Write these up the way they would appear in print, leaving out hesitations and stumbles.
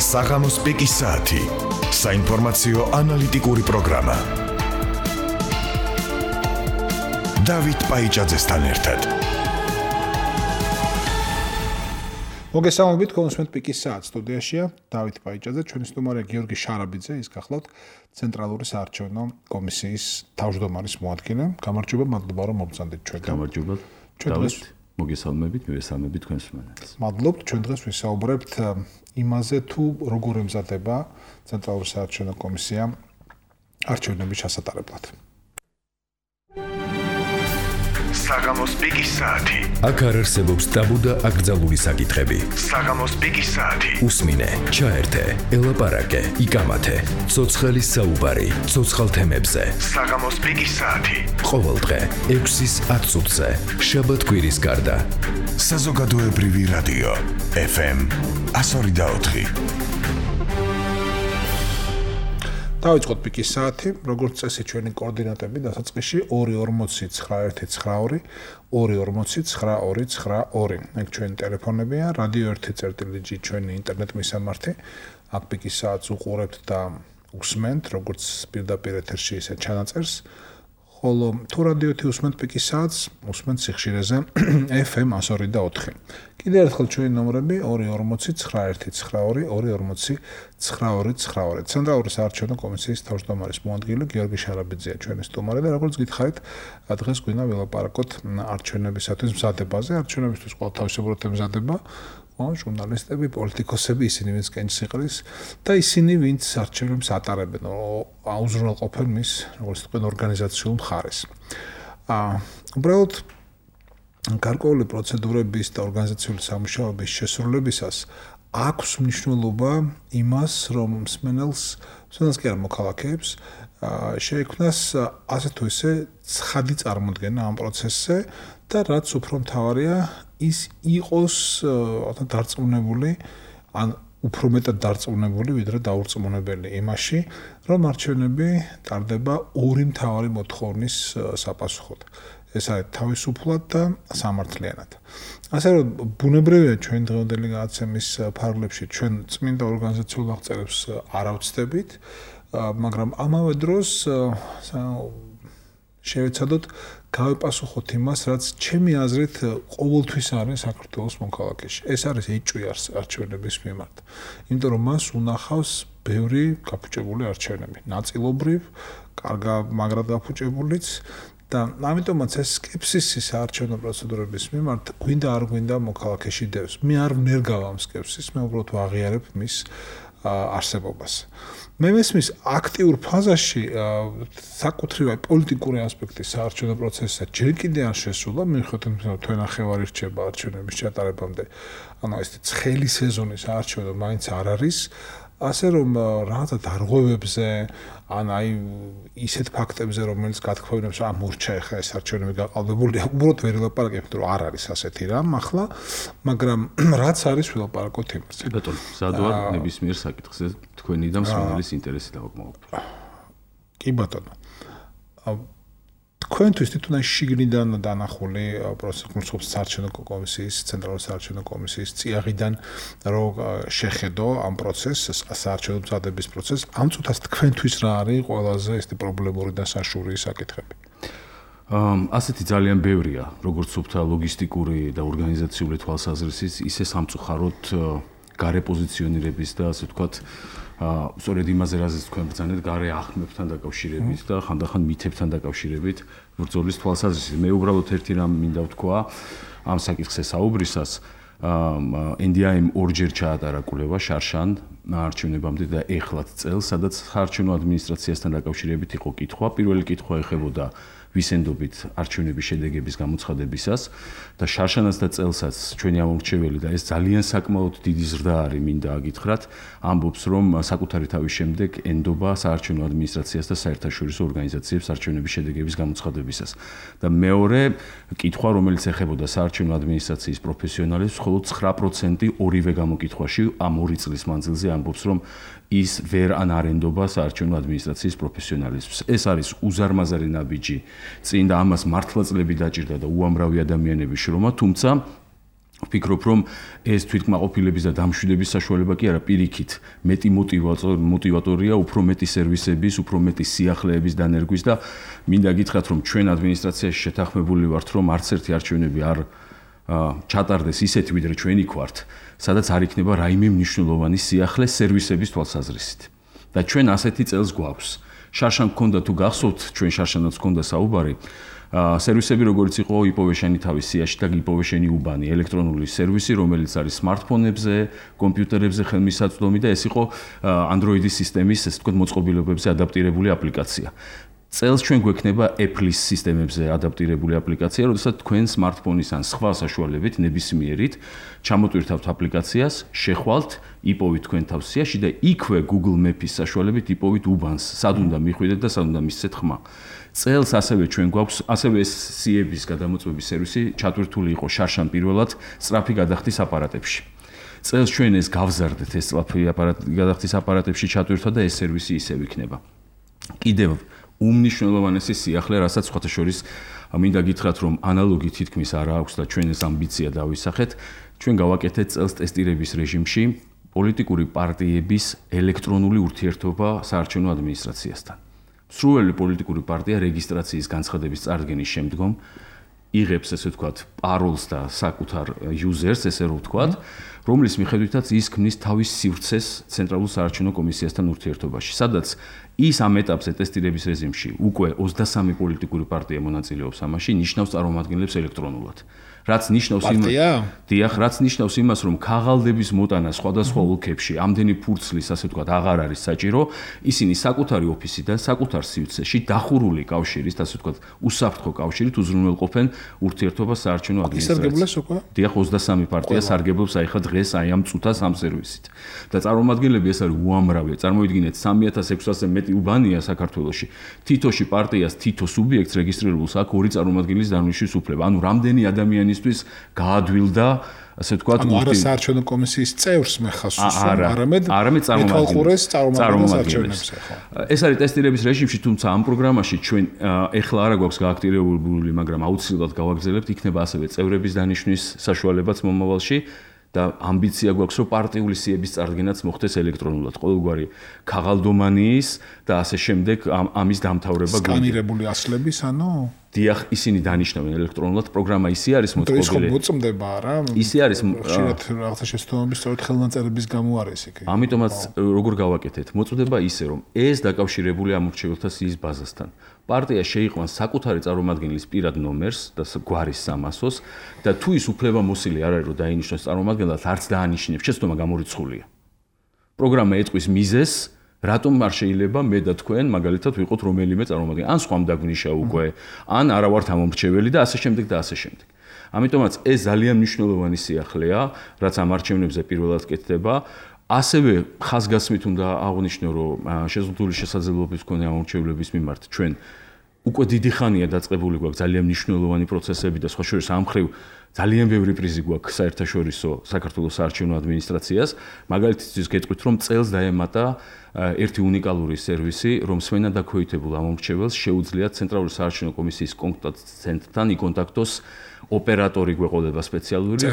საღამოს პიკის საათი. საინფორმაციო ანალიტიკური პროგრამა. დავით პაიჭაძესთან ერთად. მოგესალმებით, კონსუმენტ პიკის საათი სტუდიაშია დავით პაიჭაძე, ჩვენი სტუმარია გიორგი შარაბიძე, ის გახლავთ ცენტრალური საარჩევნო კომისიის თავმჯდომარის მოადგილე. გამარჯობა, მადლობა რომ მოგწანდით ჩვენთან. გამარჯობა. დავით, მოგესალმებით, მივესალმებით თქვენს სტუმარს. მადლობთ, ჩვენ დღეს ვისაუბრებთ იმაზე, თუ როგორ ემზადება ცენტრალური საარჩევნო კომისია არჩევნების ჩასატარებლად. საღამოს პიკის საათი. აქ არ არსებობს ტაბუ და აკრძალული საკითხები. საღამოს პიკის საათი. უსმინე, ჩაერთე, ელაპარაკე, იკამათე. ცოცხალი საუბარი, ცოცხალ თემებზე. საღამოს პიკის საათი. ყოველდღე 6-ის 10 წუთზე. შაბათ-კვირის გარდა. საზოგადოებრივი რადიო FM 102.4. დავიწყოთ პიკის საათი, როგორც წესი ჩვენი კოორდინატები დასაწყისში 240 912 240 922. ეგ ჩვენი ტელეფონებია, რადიო 1.წერტილიჯი ჩვენი ინტერნეტ მისამართი. აქ პიკის საათს უყურებთ და უსმენთ, როგორც პირდაპირ ეთერში ისე ჩანაწერს. ხოლო თუ რადიო 1 უსმენთ პიკის საათს, უსმენთ სიხშირეზე FM 102.4. კიდევ ერთხელ ჩვენი ნომრები 240 912 240 922. ცენტრალური საარჩევნო კომისიის თავმჯდომარის მოადგილე გიორგი შარაბიძეა ჩვენი სტუმარი და როგორც გითხარით, დღეს გვინდა ველაპარაკოთ არჩევნებისათვის მზადებაზე. არჩევნებისთვის ყველა თავისებურად ემზადება. ჟურნალისტები, პოლიტიკოსები, ისინი ვინც კენჭს იყრის და ისინი ვინც არჩევნებს ატარებენ, აუზრუნველყოფენ მის, როგორც თქვენ, ორგანიზაციულ მხარეს. უბრალოდ გარკვეული პროცედურების და ორგანიზაციული სამუშაოების შესრულებისას აქვს მნიშვნელობა იმას, რომ მსმენელს კი არა მოქალაქეებს შეექმნას ასე თუ ისე ცხადი წარმოდგენა ამ პროცესზე და რაც უფრო მთავარია ის იყოს დარწმუნებული ან უფრო მეტად დარწმუნებული ვიდრე დაურწმუნებელი იმაში, რომ არჩევნები ტარდება ორი მთავარი მოთხოვნის საპასუხოდ. ეს არის თავისუფლად და სამართლიანად. ასე რომ ბუნებრივია ჩვენ დღევანდელი გადაცემის ფარგლებში ჩვენ წმინდა ორგანიზაციულ აღწერებს არ ავწდებით, მაგრამ ამავე დროს შევეცადოთ გავეპასუხოთ იმას, რაც ჩემი აზრით ყოველთვის არის საქართველოს მოქალაქეში. ეს არის ეჭვი არჩევნების მიმართ. იმიტომ რომ მას უნახავს ბევრი გაფუჭებული არჩევნები, ნაწილობრივ, მაგრად გაფუჭებულიც და ამიტომაც ეს სკეპსისი საარჩევნო პროცედურების მიმართ გვინდა არ გვინდა მოქალაქეში დევს. მე არ ვნერგავ ამ სკეპსისს, მე უბრალოდ ვაღიარებ მის არსებობას. მე მესმის აქტიურ ფაზაში საკუთრივი პოლიტიკური ასპექტის საარჩევნო პროცესსა ჯერ კიდევ არ შესულა, მიუხედავად იმისა, რომ თვენახევარი რჩება არჩევნების ჩატარებამდე, ანუ ეს ცხელი სეზონის არჩევნო მაინც არ არის, ასე რომ რაღაცა დარღვევებზე, ან აი ისეთ ფაქტებზე, რომელიც გათქვევინებს, მურჩა ახლა ეს არჩევნები გაყალბებულია, უბრალოდ ვერ ელაპარაკებთ, რომ არ არის ასეთი რამ ახლა, მაგრამ რაც არის ველაპარაკოთ იმაზე. ბატონო, სადავარ ნებისმიერ საკითხზე თქვენი და მსმენელის ინტერესი დავაკმაყოფილოთ. კი ბატონო. თქვენთვის თვითონ შიგნიდან დანახული პროცესის საარჩევნო კომისიის, ცენტრალური საარჩევნო კომისიის წიაღიდან რომ შეხედო ამ პროცესს, საარჩევნო მზადების პროცესს, ამ წუთას თქვენთვის რა არის ყველაზე ეს პრობლემური და საშუალო საკითხები? ასეთი ძალიან ბევრია, როგორც სუფთა ლოგისტიკური და ორგანიზაციული თვალსაზრისით, ისე სამწუხაროდ გარე პოზიციონირების და ასე ვთქვათ, სწორედ იმაზე რაზეც თქვენ ბრძანეთ, გარე ახმებთან დაკავშირებით და ხანდახან მითებთან დაკავშირებით ბრძოლის თვალსაზრისით. მე უბრალოდ ერთი რამ მინდა ვთქვა ამ საკითხზე საუბრისას, NDIM ორჯერ ჩაატარა კვლევა შარშან არჩევნებამდე და ეხლაც წელს, სადაც საარჩევნო ადმინისტრაციასთან დაკავშირებით იყო კითხვა. პირველი კითხვა ეხებოდა ვისენდობით არჩევნების შედეგების გამოცხადებისას და შარშანაც და წელსაც ჩვენი ამორჩეველი და ეს ძალიან საკმაოდ დიდი ზრდა არის, მინდა აგითხრათ, ამბობს, რომ საკუთარი თავის შემდეგ ენდობა საარჩევნო ადმინისტრაციას და საერთაშორისო ორგანიზაციებს არჩევნების შედეგების გამოცხადებისას. და მეორე კითხვა, რომელიც ეხებოდა საარჩევნო ადმინისტრაციის პროფესიონალებს, მხოლოდ 9% ორივე გამოკითხვაში ამ 2 წლის მანძილზე ამბობს, რომ ის ვერ ანარენდობა საარჩევნო ადმინისტრაციის პროფესიონალიზმს. ეს არის უზარმაზარი ნაბიჯი წინ და ამას მართლაც ლები დაჭირდა და უამრავი ადამიანების შრომა, თუმცა ვფიქრობ, რომ ეს თვითკმაყოფილების და დამშვიდების საშუალება კი არა, პირიქით, მეტი მოტივატორია, უფრო მეტი სერვისების, უფრო მეტი სიახლეების დანერგვის და მინდა გითხრათ, რომ ჩვენ ადმინისტრაციაში შეთანხმებული ვართ, რომ არც ერთი არჩევნები არ ჩატარდეს ისეთი, ვიდრე ჩვენი გვართ, სადაც არ იქნება რაიმე მნიშვნელოვანი სიახლე სერვისების თვალსაზრისით. და ჩვენ ასეთი წელს გვაქვს. შარშან გქონდა თუ გახსოვთ, ჩვენ შარშანაც გქონდა საუბარი, სერვისები როგორც იყო იპოვეშენი თავის სიაში და იპოვეშენი უბანი, ელექტრონული სერვისი, რომელიც არის smartphone-ებზე, კომპიუტერებზე ხელმისაწვდომი და ეს იყო Android-ის სისტემის, ესე ვთქვათ, მოწყობილობებზე ადაპტირებული აპლიკაცია. წელს ჩვენ გვექნება Apple-ის სისტემებზე ადაპტირებული აპლიკაცია, როდესაც თქვენ smartphone-ის ან სხვა საშუალებით ნებისმიერით ჩამოტვირთავთ აპლიკაციას, შეხვალთ, იპოვით თქვენ თავს სიაში და იქვე Google Maps-ის საშუალებით იპოვით უბანს, სად უნდა მიხვიდეთ და სად უნდა მისცეთ ხმა. წელს ასევე ჩვენ გვაქვს, ასევე ეს SIE-ების გადამოწმების სერვისი ჩატვირთული იყო შარშან პირველად სწრაფი გადახდის აპარატებში. წელს ჩვენ ეს გავზარდეთ, ეს სწრაფი გადახდის აპარატებში ჩატვირთვა და ეს სერვისი ისევ იქნება. კიდევ უმნიშვნელოვანესი სიახლე, რასაც სხვათა შორის მინდა გითხრათ, რომ ანალოგი თითქმის არ აქვს და ჩვენ ეს ამბიცია დავისახეთ, ჩვენ გავაკეთეთ წელს ტესტირების რეჟიმში პოლიტიკური პარტიების ელექტრონული ურთიერთობა საარჩევნო ადმინისტრაციასთან. სრული პოლიტიკური პარტია რეგისტრაციის განცხადების წარდგენის შემდგომ იღებს, ესე ვთქვათ, პაროლს და საკუთარ user-ს, ესე რომ ვთქვათ, რომლის მიხედვითაც ის ქმნის თავის სივრცეს ცენტრალურ საარჩევნო კომისიასთან ურთიერთობაში, სადაც ის ამ ეტაპზე ტესტირების რეჟიმში უკვე 23 პოლიტიკური პარტია მონაწილეობს ამაში, ნიშნავს წარმომადგენლებს ელექტრონულად. რაც ნიშნავს რაც ნიშნავს იმას, რომ ქაღალდების მოტანა სხვადასხვა ოლქებში ამდენი ფურცლის, ასე ვთქვათ, აღარ არის საჭირო, ისინი საკუთარი ოფისიდან, საკუთარ სივრცეში დახურული კავშირით, ასე ვთქვათ, უსაფრთხო კავშირით უზრუნველყოფენ ურთიერთობას საარჩევნო ადმინისტრაციასთან. დიახ, 23 პარტია სარგებლობს აიხა დღეს აი ამ წუთას ამ სერვისით. და წარმომადგენლები ეს არის უამრავი. წარმოიდგინეთ 3600-ზე მეტი უბანია საქართველოში. თითოში პარტიას, თითო სუბიექტს რეგისტრირებულს აქვს 2 წარმომადგენლის დანაშაულის უფლება. ანუ რამდენი ადამიანისთვის გაადვილდა, ასე ვთქვათ, არა საარჩევნო კომისიის წევრს მეხავს უსვამ, არამედ წარმომადგენლებს. ეს არის ტესტირების რეჟიმში, თუმცა ამ პროგრამაში ჩვენ ეხლა არა გვაქვს გააქტივირებული, მაგრამ აუცილებლად გავაგრძელებთ, იქნება ასევე წევრების დანიშვნის საშუალებაც მომავალში. და ამბიცია გვაქვს, რომ პარტიული სიების წარდგენაც მოხდეს ელექტრონულად. ყოველგვარი ქაღალდომანიის და ასე შემდეგ ამის დამთავრება გვინდა. სკანირებული ასლების, ანუ დიახ, ისინი დანიშნავენ ელექტრონულად, პროგრამა ისე არის მოწყობილი. ეს ხო მოწმდება რა? ისე არის, ხშირად რაღაცა შეცდომების სწორედ ხელნაწერების გამო არის იქ. ამიტომაც როგორ გავაკეთეთ? მოწმდება ისე, რომ ეს დაკავშირებული ამორჩეველთა სიის ბაზასთან. პარტია შეიყვანს საკუთარი წარმომადგენლის პირად ნომერს და გვარის 300-ს და თუ ის უფლებამოსილი არ არის, რომ დაინიშნოს წარმომადგენლად, არც დაანიშნებს, შეცდომა გამორიცხულია. პროგრამა ეტყვის მიზეზს, რატომ არ შეიძლება მე და თქვენ მაგალითად ვიყოთ რომელიმე წარმომადგენელი, ან სხვამ დაგვნიშა უკვე, ან არა ვართ ამორჩეველი და ასე შემდეგ და ასე შემდეგ. ამიტომაც ეს ძალიან მნიშვნელოვანი სიახლეა, რაც ამ არჩევნებზე პირველად კეთდება. ასევე ხაზგასმით უნდა აღვნიშნო, რომ შეზღუდული შესაძლებლობის მქონე ამორჩევლების მიმართ ჩვენ უკვე დიდი ხანია დაწყებული გვაქვს ძალიან მნიშვნელოვანი პროცესები და სხვა შორის ამ ხრივ ძალიან ბევრი პრიზი გვაქვს საერთაშორისო საქართველოს საარჩევნო ადმინისტრაციას. მაგალითისთვის გეტყვით, რომ წელს დაემატა ერთი უნიკალური სერვისი, რომ სვენადაქვეითებულ ამორჩეველს შეუძლია ცენტრალური საარჩევნო კომისიის კონტაქტ ცენტრთან იკონტაქტოს ოპერატორი გვეყოლება სპეციალური,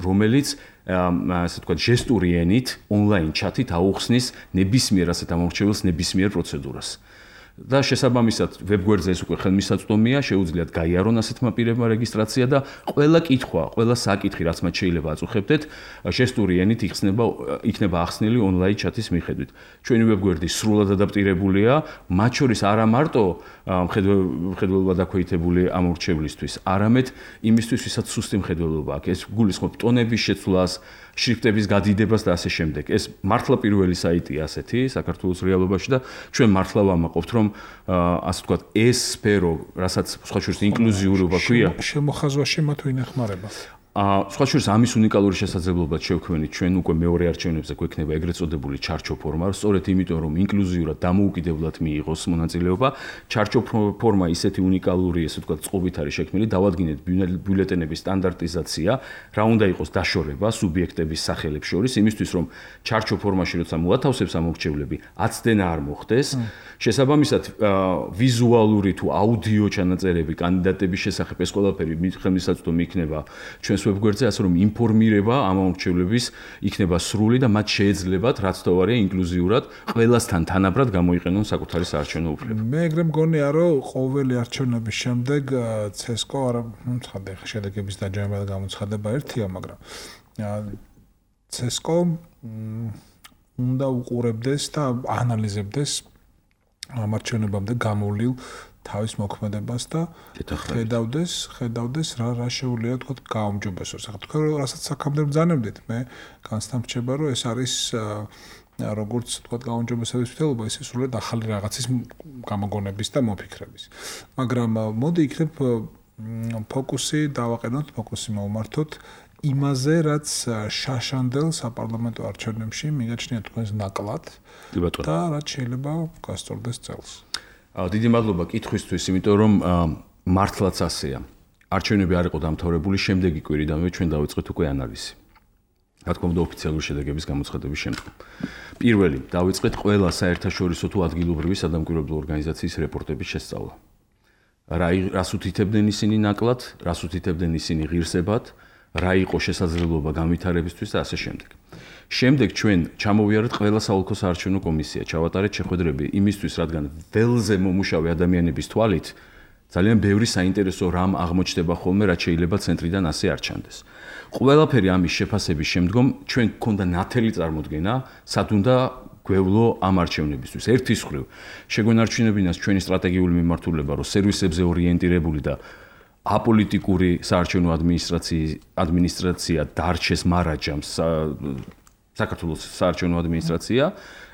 რომელიც ასე ვთქვათ, ჟესტური ენით, ონლაინ ჩათით აუხსნის ნებისმიერ ასეთ ამორჩეველს ნებისმიერ პროცედურას. და შესაბამისად ვებგვერდზე ეს უკვე ხელმისაწვდომია, შეუძლიათ გაიარონ ასეთმა პირებმა რეგისტრაცია და ყველა კითხვა, ყველა საკითხი, რაც მათ შეიძლება აწუხებდეთ, ჟესტური ენით იქნება ახსნილი ონლაინ ჩათის მიხედვით. ჩვენი ვებგვერდი სრულად ადაპტირებულია, მათ შორის არა მარტო მხედველობა დაქვეითებული ამორჩევლისთვის, არამედ იმისთვის, ვისაც სუსტი მხედველობა აქვს. ეს გულისხმობს ტონების შეცვლას, შრიფტების გადიდებას და ასე შემდეგ. ეს მართლა პირველი საიტია ასეთი საქართველოს რეალობაში და ჩვენ მართლა ვამაყობთ, რომ ასე ვთქვათ, ეს სფერო, რასაც სხვა შორის ინკლუზიურობა ქვია, შემოხაზვაში მათ ვინ ეხმარება? სხვა შორის ამის უნიკალური შესაძლებლობად შევქმნით ჩვენ უკვე მეორე არჩევნებზე გვექნება ეგრეთ წოდებული ჩარჩო ფორმა, სწორედ იმიტომ რომ ინკლუზიურად დამოუკიდებლად მიიღოს მონაწილეობა, ჩარჩო ფორმა ისეთი უნიკალური, ესე ვთქვათ, წყობით არის შექმნილი, დავადგინეთ ბიულეტენების სტანდარტიზაცია, რა უნდა იყოს დაშორება სუბიექტების სახელებს შორის, იმისთვის რომ ჩარჩო ფორმაში როცა მოათავსებს ამორჩევლები, აცდენა არ მოხდეს, შესაბამისად ვიზუალური თუ აუდიო ჩანაწერები კანდიდატების შესახებ ეს ყველაფერი ხელმისაწვდომი იქნება ჩვენს ვებგვერდზე, ასე რომ ინფორმირება ამ მომრჩევლების იქნება სრული და მათ შეეძლებათ რაც თვარია ინკლუზიურად ყველასთან თანაბრად გამოიყენონ საკუთარი საარჩევნო უფლება. მე ეგრე მგონია, რომ ყოველი არჩევნების შემდეგ CSGO არა ცხადე შედეგების დაჯერება და გამოცხადება ერთია, მაგრამ CSGO უნდა უყურებდეს და ანალიზებდეს ამ არჩევნებამდე გამოვლილ თავის მოქმედებას და ხედავდეს რა შეუძლია თქვა გაუმჯობესოს. ახლა თქვენ რასაც აქამდე ბრძანებდით, მე განსამრჩება რომ ეს არის როგორც თქვა გაუმჯობესების მცდელობა, ისე სულად ახალი რაღაცის გამოგონების და მოფიქრების. მაგრამ მოდი იქნებ ფოკუსი დავაყენოთ, ფოკუსი მოვმართოთ იმაზე, რაც შაშანდელ საპარლამენტო არჩევნებში მიგაჩნია თქვენს ნაკლად და რაც შეიძლება გასწორდეს წელს. დიდი მადლობა კითხვისთვის, იმიტომ რომ მართლაც ასეა. არჩევნები არ იყო დამთავრებული, შემდეგი კვირიდანვე ჩვენ დავიწყეთ უკვე ანალიზი. რა თქმა უნდა, ოფიციალური შედეგების გამოცხადების შემდგომ. პირველი, დავიწყეთ ყველა საერთაშორისო თუ ადგილობრივი სადამკვირვებლო ორგანიზაციის რეპორტების შესწავლა. რას უთითებდნენ ისინი ნაკლად, რას უთითებდნენ ისინი ღირსებად, რა იყო შესაძლებლობა განვითარებისთვის და ასე შემდეგ. შემდეგ ჩვენ ჩამოვიარეთ ყველა საოლქო საარჩევნო კომისია, ჩავატარეთ შეხვედრები იმისთვის, რადგან ველზე მომუშავე ადამიანების თვალით ძალიან ბევრი საინტერესო რამ აღმოჩნდება ხოლმე, რაც შეიძლება ცენტრიდან ასე არ ჩანდეს. ყველაფერი ამის შეფასების შემდგომ ჩვენ გქონდა ნათელი წარმოდგენა, სად უნდა გვევლო ამ არჩევნებისთვის. ერთის მხრივ, შეგვენარჩუნებინას ჩვენი სტრატეგიული მიმართულება, რომ სერვისებზე ორიენტირებული და აპოლიტიკური საარჩევნო ადმინისტრაცია დარჩეს მარაჯამს საქართველოს საარჩევნო ადმინისტრაცია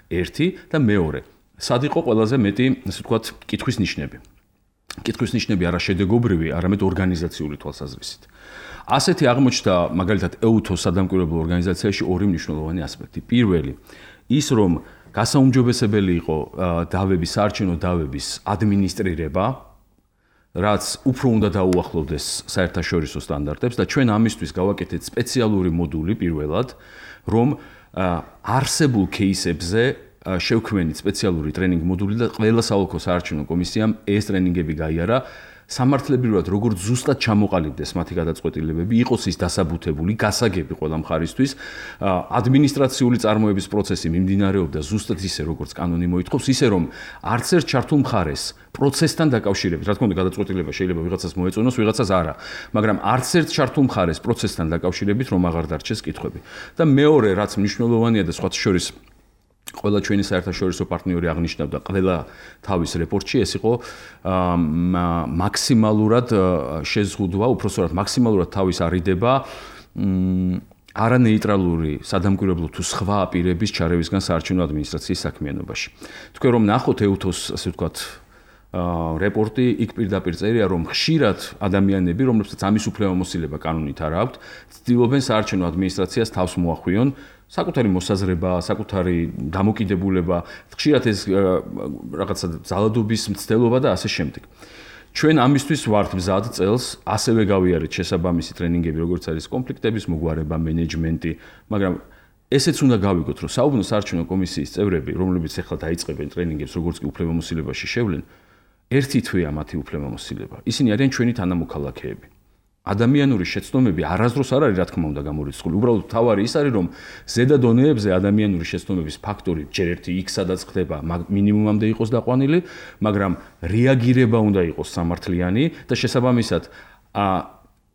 ერთი და მეორე. სად იყო ყველაზე მეტი, ასე ვთქვათ, კითხვის ნიშნები. კითხვის ნიშნები არა შედეგობრივი, არამედ ორგანიზაციული თვალსაზრისით. ასეთი აღმოჩნდა მაგალითად EUTHO სადამკვირვებლო ორგანიზაციაში ორი მნიშვნელოვანი ასპექტი. პირველი, ის რომ გასაუმჯობესებელი იყო დავების, საარჩევნო დავების ადმინისტრირება, რაც უფრო უნდა დაუახლოვდეს საერთაშორისო სტანდარტებს და ჩვენ ამისთვის გავაკეთეთ სპეციალური მოდული პირველად, რომ არსებულ кейსებზე შევქმნით სპეციალური ტრენინგ მოდული და ყველა საოლქო საარჩევნო კომისიამ ეს ტრენინგები გაიარა. სამართლებრივად როგორც ზუსტად ჩამოყალიბდეს მათი გადაწყვეტილებები, იყოს ის დასაბუთებული, გასაგები ყველა მხარისთვის, ადმინისტრაციული წარმოების პროცესი მიმდინარეობდა ზუსტად ისე, როგორც კანონი მოითხოვს, ისე რომ არც ერთ ჩართულ მხარეს პროცესთან დაკავშირებით, რა თქმა უნდა, გადაწყვეტილება შეიძლება ვიღაცას მოეწონოს, ვიღაცას არა, მაგრამ არც ერთ ჩართულ მხარეს პროცესთან დაკავშირებით რომ აღარ დარჩეს კითხვები. და მეორე, რაც მნიშვნელოვანია და სხვათა შორის ყველა ჩვენი საერთაშორისო პარტნიორი აღნიშნავდა ყველა თავის რეპორტში, ეს იყო მაქსიმალურად შეზღუდვა, უпростоრად მაქსიმალურად თავის არიდება არანეიტრალური სადამკვირვებლო თუ სხვა პირების ჩარევისგან საარჩევნო ადმინისტრაციის საქმიანობაში. თქვენ რომ ნახოთ EUTHO-ს, ასე ვთქვათ, რეპორტი, იქ პირდაპირ წერია, რომ ხშირად ადამიანები, რომლებსაც ამის უფლებამოსილება კანონით არ აქვთ, ცდილობენ საარჩევნო ადმინისტრაციას თავს მოახვიონ საკუთარი მოსაზრება, საკუთარი დამოკიდებულება, ხშირად ეს რაღაცა ძალადობის მცდელობა და ასე შემდეგ. ჩვენ ამისთვის ვართ მზად წელს, ასევე გავიარეთ შესაბამისი ტრენინგები, როგორც არის კონფლიქტების მოგვარება, მენეჯმენტი, მაგრამ ესეც უნდა გავიგოთ, რომ საუბნო საარჩევნო კომისიის წევრები, რომლებიც ახლა დაიწყებენ ტრენინგებს, როგორც კი უფლებამოსილებაში შევლენ, ერთი თვეა მათი უფლებამოსილება. ისინი არიან ჩვენი თანამოქალაქეები. ადამიანური შეცდომები არასდროს არ არის, რა თქმა უნდა, გამორიცხული. უბრალოდ თავარი ის არის, რომ ზედა დონეებზე ადამიანური შეცდომების ფაქტორი ჯერ ერთი იქ სადაც ხდება, მინიმუმამდე იყოს დაყვანილი, მაგრამ რეაგირება უნდა იყოს სამართლიანი და შესაბამისად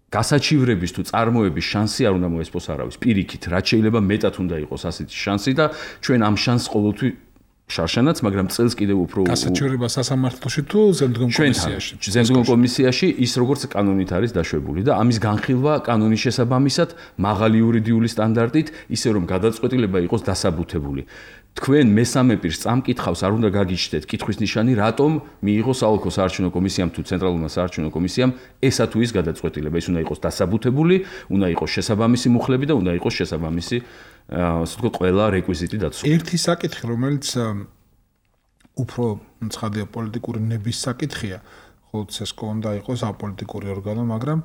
გასაჩივრების თუ წარმოების შანსი არ უნდა მოესპოს არავის. პირიქით, რაც შეიძლება მეტად უნდა იყოს ასეთი შანსი და ჩვენ ამ შანსს ყოველთვის შარშანაც, მაგრამ წელს კიდევ უფრო გასაჩივრება სასამართლოში თუ ზემდგომ კომისიაში. ზემდგომ კომისიაში ის როგორც კანონით არის დაშვებული და ამის განხილვა კანონის შესაბამისად მაღალი იურიდიული სტანდარტით, ისე რომ გადაწყვეტილება იყოს დასაბუთებული. თქვენ მესამე პირს წამკითხავს არ უნდა გაგიჩნდეთ კითხვის ნიშანი, რატომ მიიღო საოლქო საარჩევნო კომისიამ თუ ცენტრალურმა საარჩევნო კომისიამ ესა თუ ის გადაწყვეტილება. ის უნდა იყოს დასაბუთებული, უნდა იყოს შესაბამისი მუხლები და უნდა იყოს შესაბამისი ასე ვთქვათ, ყველა რეკვიზიტი დაცული. ერთი საკითხი, რომელიც უფრო ცხადია პოლიტიკური ნების საკითხია, ხოლო CSGO უნდა იყოს აპოლიტიკური ორგანო, მაგრამ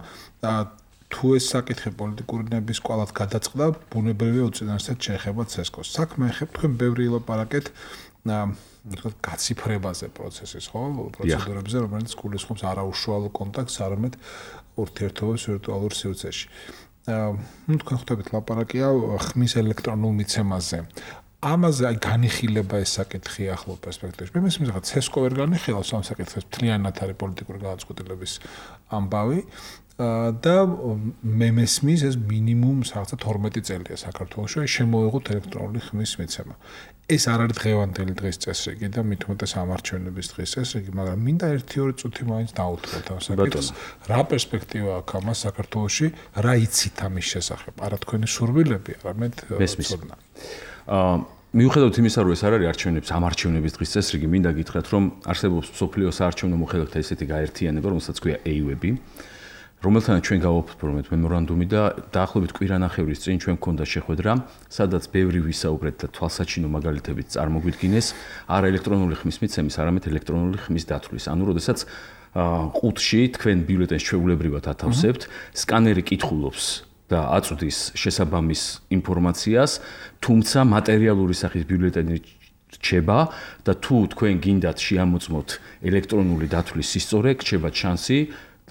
თუ ეს საკითხი პოლიტიკური ნების კვალად გადაწყდა, ბუნებრივია უწინარესად შეეხება CSGO-ს. საქმე ეხება თქვენ ბევრი ილაპარაკეთ ვთქვათ გაციფრებაზე პროცესის, ხო? პროცედურებზე, რომელიც გულისხმობს არაუშუალო კონტაქტს, არამედ ურთიერთობას ვირტუალურ სივრცეში. თქვენ ხვდებით ლაპარაკია ხმის ელექტრონულ მიცემაზე. ამაზე აი განიხილება ეს საკითხი ახლო პერსპექტივაში. მე მესმის რაღაც ცესკო ვერ განიხილავს ამ საკითხს, მთლიანად არის პოლიტიკური გადაწყვეტილების ამბავი და მე მესმის ეს მინიმუმ რაღაცა 12 წელია საქართველოში შემოიღოთ ელექტრონული ხმის მიცემა. ეს არ არის დღევანდელი დღის წესრიგი და მით უმეტეს ამარჩევნების დღის წესრიგი, მაგრამ მინდა 1-2 წუთი მაინც დავუთროთ ამ საკითხს. რა პერსპექტივა აქვს ამას საქართველოში, რა იცით ამის შესახებ? არა თქვენი სურვილები, არამედ ცოდნა. მიუხედავად იმისა, რომ ეს არ არის ამარჩევნების დღის წესრიგი, მინდა გითხრათ, რომ არსებობს მსოფლიოს საარჩევნო მოხელეთა ესეთი გაერთიანება, რომელსაც ქვია AUB, რომელთანაც ჩვენ გავაფორმეთ მემორანდუმი და დაახლოებით კვირანახევრის წინ ჩვენ გქონდა შეხვედრა, სადაც ბევრი ვისაუბრეთ და თვალსაჩინო მაგალითებით წარმოგვიდგინეს არა ელექტრონული ხმის მიცემის, არამედ ელექტრონული ხმის დათვლის. ანუ როდესაც ყუთში თქვენ ბიულეტენს ჩვეულებრივად ათავსებთ, სკანერი კითხულობს და აწვდის შესაბამის ინფორმაციას, თუმცა მატერიალური სახის ბიულეტენი რჩება და თუ თქვენ გინდათ შეამოწმოთ ელექტრონული დათვლის სისწორე, გრჩება შანსი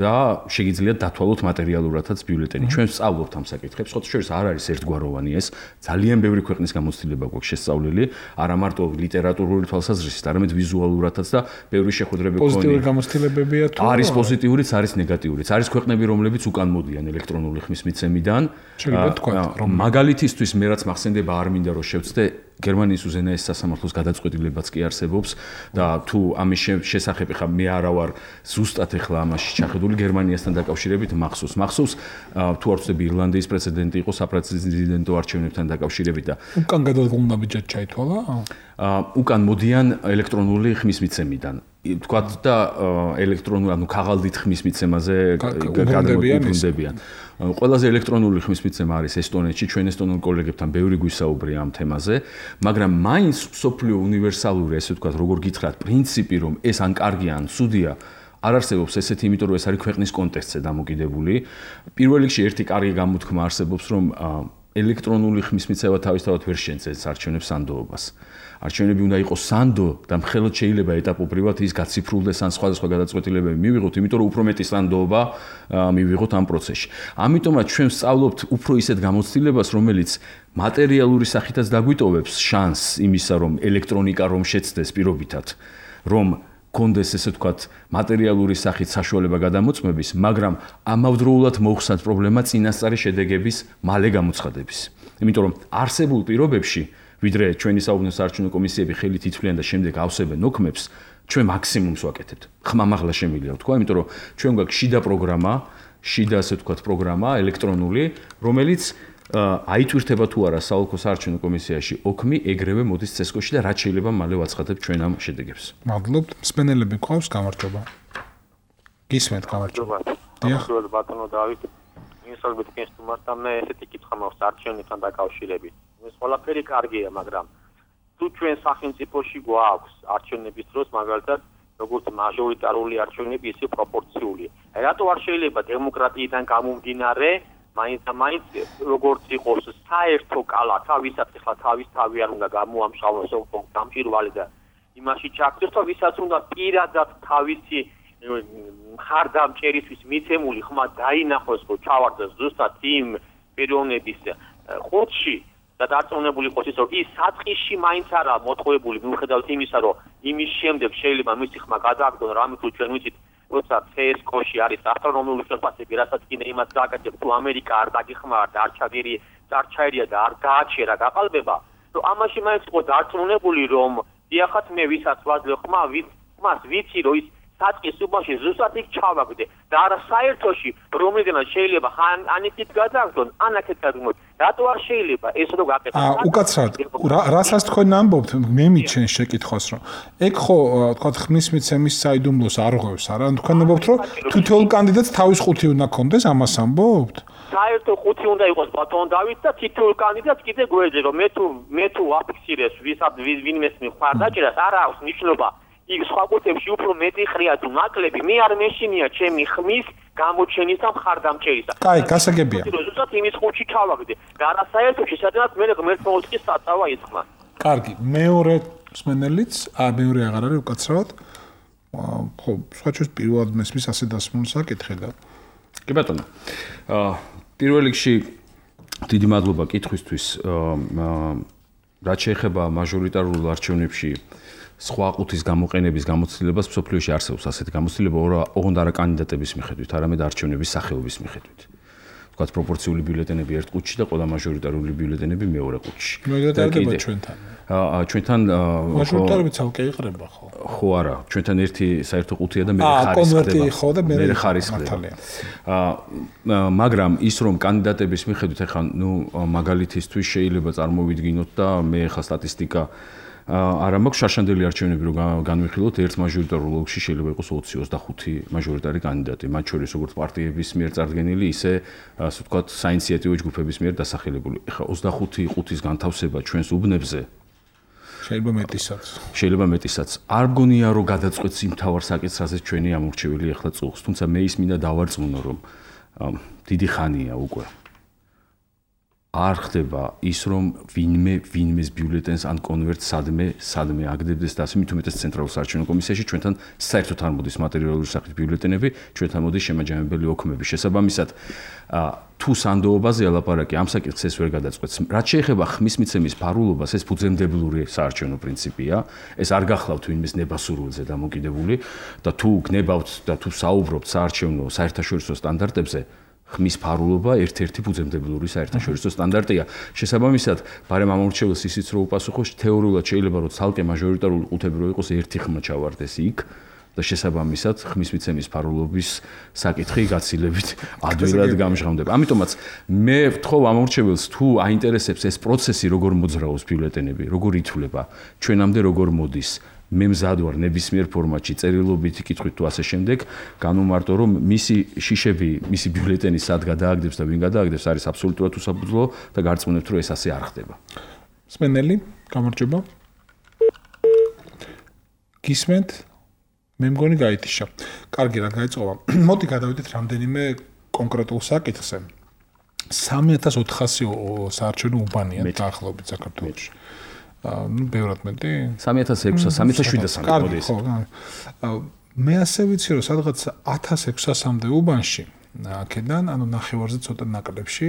და შეგიძლიათ დათვალოთ მატერიალურადაც ბიულეტენი. ჩვენ ვსწავლობთ ამ საკითხებს, ხოთ შორის არ არის ერთგვაროვანი ეს, ძალიან ბევრი ქვეყნის გამოცდილება გვაქვს შესწავლილი, არა მარტო ლიტერატურული თვალსაზრისით, არამედ ვიზუალურადაც და ბევრი შეხვედრები გქონია. პოზიტიური გამოცდილებებია თუ არის პოზიტიურიც, არის ნეგატიურიც. არის ქვეყნები, რომლებიც უკან მოდიან ელექტრონული ხმის მიცემიდან. შეგიძლიათ თქვათ, რომ მაგალითისთვის მე რაც მახსენდება არ მინდა რომ შევწდე გერმანიის უზენაეს სასამართლოს გადაწყვეტილებაც კი არსებობს და თუ ამის შესახებ ხა მე არა ვარ ზუსტად ახლა ამაში ჩახედული გერმანიასთან დაკავშირებით მახსოვს თუ არ ვცდები ირლანდიის პრეცედენტი იყო საპრეზიდენტო არჩევნებთან დაკავშირებით და უკან გადადგმულმა ბიჭად ჩაითვალა უკან მოდიან ელექტრონული ხმის მიცემიდან თქვათ და ელექტრონული ანუ ქაღალდით ხმის მიცემაზე გადაგუბრუნდებიან ყველაზე ელექტრონული ხმის მიცემა არის ესტონეთში ჩვენ ესტონელ კოლეგებთან ბევრი გვისაუბრია ამ თემაზე მაგრამ მაინც სოფლიო უნივერსალური ესე ვთქვათ როგორ გითხრათ პრინციპი რომ ეს ან კარგია ან ცუდია არ არსებობს ესეთი იმიტომ რომ ეს არის ქვეყნის კონტექსტზე დამოკიდებული პირველ რიგში ერთი კარგი გამოთქმა არსებობს რომ ელექტრონული ხმის მიცემა თავისთავად ვერ შეცდებს არჩევნებს სანდოობას არჩევნები უნდა იყოს სანდო და მხოლოდ შეიძლება ეტაპობრივად ის გაციფრულდეს ან სხვადასხვა გადაწყვეტილებები მივიღოთ, იმიტომ რომ უფრო მეტი სანდოობა მივიღოთ ამ პროცესში. ამიტომაც ჩვენ ვსწავლობთ უფრო ისეთ გამოცდილებას, რომელიც მატერიალური სახითაც დაგვიტოვებს შანსს იმისა, რომ ელექტრონიკა რომ შეცდეს პირობითად, რომ კონდეს ესე ვთქვათ მატერიალური სახით საშუალება გადამოწმების, მაგრამ ამავდროულად მოხსნათ პრობლემა წინასწარი შედეგების მალე გამოცხადების. იმიტომ რომ არსებულ პირობებში ვიდრე ჩვენი საუბნო საარჩევნო კომისიები ხელით ითვლიან და შემდეგ ავსებენ ოქმებს, ჩვენ მაქსიმუმს ვაკეთებთ. ხმამაღლა შემიძლია ვთქვა, იმიტომ რომ ჩვენ გვაქვს შიდა პროგრამა, შიდა ასე ვთქვათ პროგრამა ელექტრონული, რომელიც აიტვირთება თუ არა საოლქო საარჩევნო კომისიაში ოქმი ეგრევე მოდის CESCO-ში და რაც შეიძლება მალე ვაცხადებთ ჩვენ ამ შედეგებს. მადლობთ. მსმენელები გვყავს, გამარჯობა. გისმენთ, გამარჯობა. დიახ, ბატონო დავით. მისალბეთ კენსტუმართან მე ესეთი კითხვა მაქვს არჩევნებთან დაკავშირებით. ეს ყველაფერი კარგია, მაგრამ თუ ჩვენ სახელმწიფოში გვაქვს არჩევნების დროს მაგალითად როგორც მაჟორიტარული არჩევნები, ისე პროპორციული. რატო არ შეიძლება დემოკრატიიდან გამომდინარე, მაინც როგორც იყოს საერთო კალათა, ვისაც ახლა თავის თავი არ უნდა გამოამშალოს დამჭირვალი და იმაში ჩაქცეს, თუ ვისაც უნდა პირადად თავისი მხარდამჭერისთვის მიცემული ხმა დაინახოს, რომ ჩავარდეს ზუსტად იმ პიროვნების ხუთში და დარწმუნებული იყოს ის, რომ ის საწყისში მაინც არა მოტყუებული, მიუხედავად იმისა, რომ იმის შემდეგ შეიძლება მისი ხმა გადააგდონ რამე თუ ჩვენ ვიცით, როცა CESCO-ში არის ასტრონომიული შეფასებები, რასაც კიდე იმას დააკეთებ, თუ ამერიკა არ დაგიხმარა და არ ჩაერია და არ გააჩერა გაყალბება, რომ ამაში მაინც იყო დარწმუნებული, რომ დიახაც მე ვისაც ვაძლევ ხმას ვიცი, რომ ის საწყის უბანში ზუსტად იქ ჩავაგდე და არა საერთოში რომელიდანაც შეიძლება ან იქით გადაგდონ ან აქეთ გადმოთ რატო არ შეიძლება ეს რო გაკეთოს უკაცრად რასაც თქვენ ამბობთ მე მიჩენ შეკითხვას რომ ეგ ხო თქვა ხმის მიცემის საიდუმლოს არ ღვევს არა თქვენ ამბობთ რომ თითოეულ კანდიდატს თავის ხუთი უნდა ქონდეს ამას ამბობთ საერთო ხუთი უნდა იყოს ბატონ დავით და თითოეულ კანდიდატს კიდე გვეძე რომ მე თუ აფიქსირეს ვინმეს მხარდაჭერას არ აქვს ნიშნობა იქ სხვა კუთებში უფრო მეტი ხრია თუ ნაკლები, მე არ მეშინია ჩემი ხმის გამოჩენის და მხარდამჭერისა. კაი, გასაგებია. ზუსტად იმის ხუთში ჩავაგდე. და არასაერთოში სადღაც მე ღმერთმოუწყის საწავა იწმა. კარგი, მეორე მსმენელიც, მეორე აღარ არის უკაცრავად. ხო, სხვა ჩვენს პირველად მესმის ასე დასმულ საკითხი და. კი ბატონო. პირველ რიგში დიდი მადლობა კითხვისთვის. რაც შეეხება მაჟორიტარულ არჩევნებში სხვა ყუთის გამოყენების გამოცდილებას, მსოფლიოში არსებობს ასეთი გამოცდილება ოღონდ არა კანდიდატების მიხედვით, არამედ არჩევნების სახეობის მიხედვით. თქვათ პროპორციული ბიულეტენები ერთ ყუთში და ყველა მაჟორიტარული ბიულეტენები მეორე ყუთში. მაგალითად ჩვენთან. ჩვენთან მაჟორიტარები ცალკე იყრება ხო? ხო არა, ჩვენთან ერთი საერთო ყუთია და მეორე ხარისხდება. ხო და მეორე ხარისხდება. მაგრამ ის რომ კანდიდატების მიხედვით ახლა მაგალითისთვის შეიძლება წარმოვიდგინოთ და მე ახლა სტატისტიკა არა მაქვს შარშანდელი არჩევნები რომ განვიხილოთ ერთ მაჟორიტარულ ოლქში შეიძლება იყოს 20-25 მაჟორიტარი კანდიდატი მათ შორის როგორც პარტიების მიერ წარდგენილი ისე ასე ვთქვათ საინიციატივო ჯგუფების მიერ დასახელებული. ახლა 25 ყუთის განთავსება ჩვენს უბნებზე შეიძლება მეტისაც. არ მგონია რომ გადაწყვეტს იმ თავარ საკითხს რასაც ჩვენი ამორჩეველი ახლა წუხს. თუმცა მე ის მინდა დავარწმუნო რომ დიდი ხანია უკვე არ ხდება ის რომ ვინმეს ბიულეტენს ან კონვერტს სადმე აგდებდეს და ასე მით უმეტეს ცენტრალურ საარჩევნო კომისიაში ჩვენთან საერთოდ არ მოდის მატერიალური სახით ბიულეტენები, ჩვენთან მოდის შემაჯამებელი ოქმები. შესაბამისად თუ სანდოობაზე ალაპარაკი ამ საკითხს ეს ვერ გადაწყვეტს. რაც შეეხება ხმის მიცემის ფარულობას, ეს ფუძემდებლური საარჩევნო პრინციპია. ეს არ გახლავთ ვინმეს ნებასურულზე დამოკიდებული და თუ გნებავთ და თუ საუბრობთ საარჩევნო საერთაშორისო სტანდარტებზე ხმის ფარულობა ერთ-ერთი ფუძემდებლური საერთაშორისო სტანდარტია. შესაბამისად, ბარემ ამორჩეველს ისიც რო უპასუხოს, თეორიულად შეიძლება რომ ცალკე მაჟორიტარული ყუთები რო იყოს ერთი ხმა ჩავარდეს იქ და შესაბამისად ხმის მიცემის ფარულობის საკითხი გაცილებით ადვილად გამჟღავნდება. ამიტომაც მე ვთხოვ ამორჩეველს თუ აინტერესებს ეს პროცესი როგორ მოძრაობს ბიულეტენები, როგორ ითვლება, ჩვენამდე როგორ მოდის მე მზად ვარ ნებისმიერ ფორმატში წერილობითი კითხვით თუ ასე შემდეგ განუმარტო რომ მისი შიშები მისი ბიულეტენი სად გადააგდებს და ვინ გადააგდებს არის აბსოლუტურად უსაფუძვლო და გარწმუნებთ რომ ეს ასე არ ხდება. სმენელი გამარჯობა. გისმენთ? მე მგონი გაითიშა. კარგი რა გაიწყობა. მოდი გადავიდეთ რამდენიმე კონკრეტულ საკითხზე. 3400 საარჩევნო უბანია დაახლოებით საქართველოში. ბევრად მეტი 3600-3700 მოდი ეს. მე ასე ვიცი რომ სადღაც 1600-მდე უბანში აქედან ანუ ნახევარზე ცოტა ნაკლებში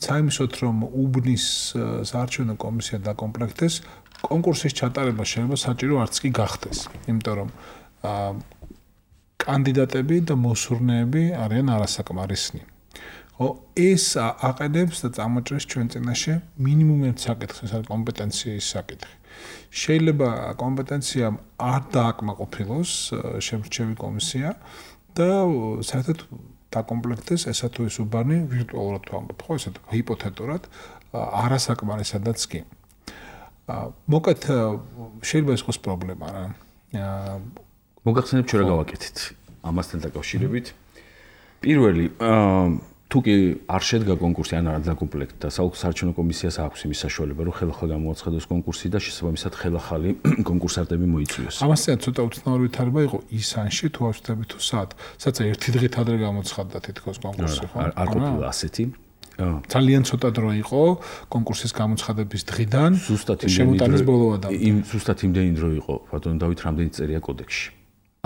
საიმისოთ რომ უბნის საარჩევნო კომისია დაკომპლექტდეს კონკურსის ჩატარება შეიძლება საჭირო არც კი გახდეს იმიტომ რომ კანდიდატები და მოსურნეები არიან არასაკმარისნი. ეს აყენებს და წამოჭრეს ჩვენ წინაშე მინიმუმ ერთ საკითხს, ეს არის კომპეტენციის საკითხი. შეიძლება კომპეტენცია არ დააკმაყოფილოს შემრჩევი კომისია და საერთოდ დაკომპლექტდეს ესა თუ ის უბანი ვირტუალურად ვამბობ, ხო, ესეთ ჰიპოთეტურად არასაკმარისადაც კი. მოკეთ შეიძლება ეს იყოს პრობლემა რა. მოგახსენებთ ჩვენ რა გავაკეთეთ ამასთან დაკავშირებით. პირველი თუ კი არ შედგა კონკურსი ან არ დაკომპლექტდა საარჩევნო კომისიას აქვს იმის საშუალება რომ ხელახლა გამოაცხადოს კონკურსი და შესაბამისად ხელახალი კონკურსანტები მოიწვიოს. ამასთან ცოტა უცნაური ვითარება იყო ისანში თუ ავსწრები თუ სადაც ერთი დღით ადრე გამოცხადდა თითქოს კონკურსი ხო? არ ყოფილა ასეთი. ძალიან ცოტა დრო იყო კონკურსის გამოცხადების დღიდან შემოტანის ბოლომდე. ზუსტად იმდენი დრო იყო ბატონო დავით რამდენი წერია კოდექსში.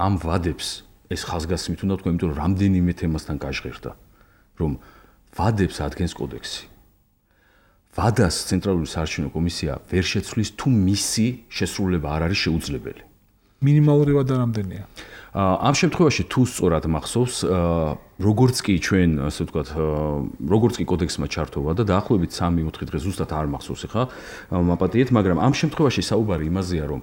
ამ ვადებს ეს ხაზგასმით უნდა თქვა, იმიტომ რომ რამდენიმე თემასთან გაჟღერდა. რომ ვადებს ადგენს კოდექსი. ვადას ცენტრალური საარჩევნო კომისია ვერ შეცვლის თუ მისი შესრულება არ არის შეუძლებელი. მინიმალური ვადა რამდენია? ამ შემთხვევაში თუ სწორად მახსოვს, როგორც კი ჩვენ, ასე ვთქვათ, როგორც კი კოდექსმა ჩართოვა და დაახლოებით 3-4 დღე ზუსტად არ მახსოვს ახლა მაპატიეთ, მაგრამ ამ შემთხვევაში საუბარი იმაზეა, რომ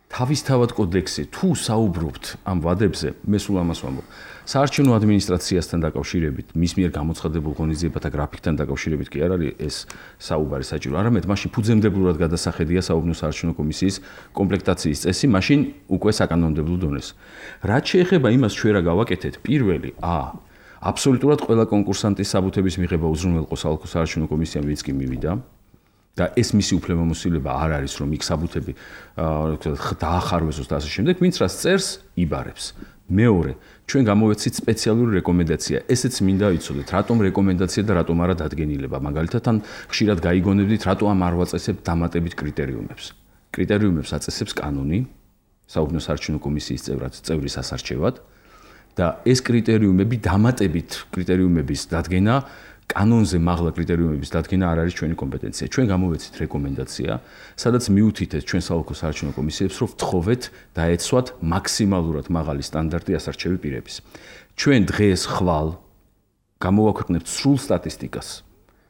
თავისთავად კოდექსი თუ საუბრობთ ამ ვადებზე, მე სულ ამას ვამბობ. საარჩევნო ადმინისტრაციასთან დაკავშირებით, მის მიერ გამოცხადებულ ღონისძიებათა გრაფიკთან დაკავშირებით კი არ არის ეს საუბარი საჭირო. არამედ მაშინ ფუძემდებლურად გადასახედია საუბნო საარჩევნო კომისიის კომპლექტაციის წესი, მაშინ უკვე საკანონმდებლო დონეს. რაც შეეხება იმას ჩვენ რა გავაკეთეთ, პირველი, აბსოლუტურად ყველა კონკურსანტის საბუთების მიღება უზრუნველყო საოლქო საარჩევნო კომისიამ ვინც კი მივიდა. და ეს მისი უფლებამოსილება არ არის რომ იქ საბუთები დაახარვესოს და ასე შემდეგ, ვინც რას წერს, იბარებს. მეორე, ჩვენ გამოვეცით სპეციალური რეკომენდაცია. ესეც მინდა იცოდეთ, რატომ რეკომენდაცია და რატომ არა დადგენილება. მაგალითად, ან ხშირად გაიგონებდით, რატომ არ ვაწესებთ დამატებით კრიტერიუმებს. კრიტერიუმებს აწესებს კანონი, საუბნო საარჩევნო კომისიის წევრის ასარჩევად და ეს კრიტერიუმები დამატებით კრიტერიუმების დადგენა კანონზე მაღლა კრიტერიუმების დადგენა არ არის ჩვენი კომპეტენცია. ჩვენ გამოვეცით რეკომენდაცია, სადაც მიუთითეთ ჩვენ საოლქო საარჩევნო კომისიებს, რომ ვთხოვეთ დაეცვათ მაქსიმალურად მაღალი სტანდარტი ასარჩევი პირების. ჩვენ დღეს ხვალ გამოვაქვეყნებთ სრულ სტატისტიკას.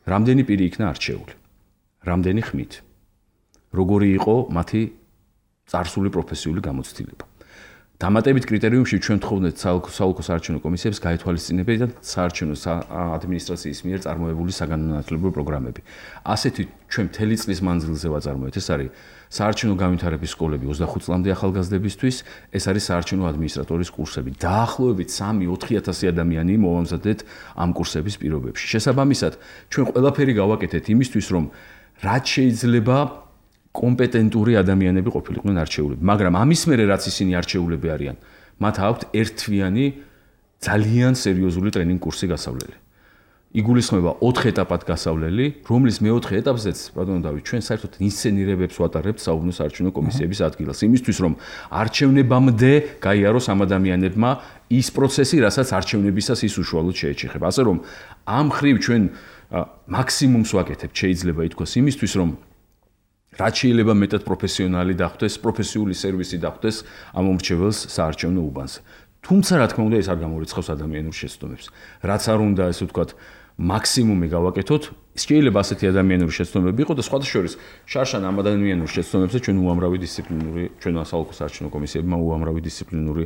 რამდენი პირი იქნა არჩეული? რამდენი ხმით? როგორი იყო მათი წარსული პროფესიული გამოცდილება? დამატებით კრიტერიუმში ჩვენ ვთხოვთ საოლქო საარჩევნო კომისიებს გაეთვალისწინებინათ საარჩევნო ადმინისტრაციის მიერ წარმოებული საგანმანათლებლო პროგრამები. ასეთი ჩვენ მთელი წლის მანძილზე ვაწარმოეთ. ეს არის საარჩევნო განვითარების სკოლები 25 წლამდე ახალგაზრდებისთვის, ეს არის საარჩევნო ადმინისტრატორის კურსები. დაახლოებით 3-4000 ადამიანი მოვამზადეთ ამ კურსების პირობებში. შესაბამისად, ჩვენ ყველაფერი გავაკეთეთ იმისთვის, რომ რაც შეიძლება კომპეტენტური ადამიანები ყოფილიყვნენ არჩეულები, მაგრამ ამის მერე რაც ისინი არჩეულები არიან, მათ აქვთ ერთთვიანი ძალიან სერიოზული ტრენინგ კურსი გასავლელი. იგულისხმება 4 ეტაპად გასავლელი, რომლის მეოთხე ეტაპზეც, ბატონო დავით, ჩვენ საერთოდ ინსცენირებებს ვატარებთ საუბნო საარჩევნო კომისიების ადგილას, იმისთვის რომ არჩევნებამდე გაიაროს ამ ადამიანებმა ის პროცესი, რასაც არჩევნებისას ის უშუალოდ შეეჩეხება. ასე რომ ამ ხრივ ჩვენ მაქსიმუმს ვაკეთებთ, შეიძლება ითქვას, იმისთვის რომ რაც შეიძლება მეტად პროფესიონალი დახვდეს, პროფესიული სერვისი დახვდეს ამ მომრჩეველს საარჩევნო უბანზე. თუმცა რა თქმა უნდა ეს არ გამორიცხავს ადამიანურ შეცდომებს. რაც არ უნდა ესე ვთქვათ მაქსიმუმი გავაკეთოთ, შეიძლება ასეთი ადამიანური შეცდომები იყოს და სხვათა შორის შარშან ამ ადამიანურ შეცდომებზე ჩვენ უამრავი დისციპლინური, ჩვენ საოლქო საარჩევნო კომისიებმა უამრავი დისციპლინური